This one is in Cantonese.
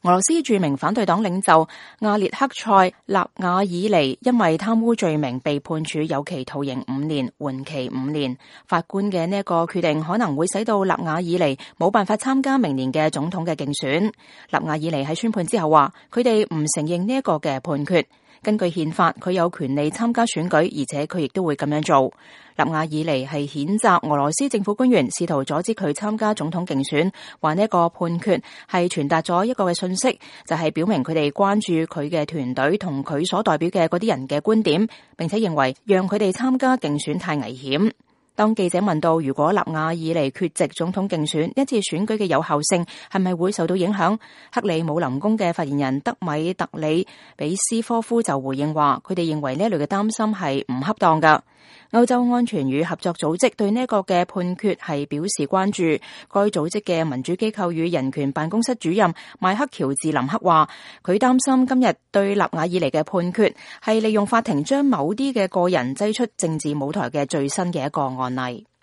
俄羅斯著名反對黨領袖亞列克塞納瓦爾尼因為貪污罪名被判處有期徒刑5年，緩期5年。法官嘅呢一個決定可能會使到納瓦爾尼冇辦法參加明年嘅總統嘅競選。納瓦爾尼喺宣判之後話，佢哋唔承認呢一個嘅判決。根據憲法，佢有權利參加選舉，而且佢亦都會咁樣做。納瓦爾尼係譴責俄羅斯政府官員試圖阻止佢參加總統競選，話呢一個判決係傳達咗一個嘅信息，就係表明佢哋關注佢嘅團隊同佢所代表嘅嗰啲人嘅觀點，並且認為讓佢哋參加競選太危險。當記者問到如果納瓦爾尼缺席總統競選，一次選舉嘅有效性係咪會受到影響？克里姆林宮嘅發言人德米特里比斯科夫就回應話，佢哋認為呢一類嘅擔心係唔恰當㗎。歐洲安全與合作組織對呢一個嘅判決係表示關注。該組織嘅民主機構與人權辦公室主任邁克喬治林克話，佢擔心今日對納瓦爾尼嘅判決係利用法庭將某啲嘅個人擠出政治舞台嘅最新嘅一個案例。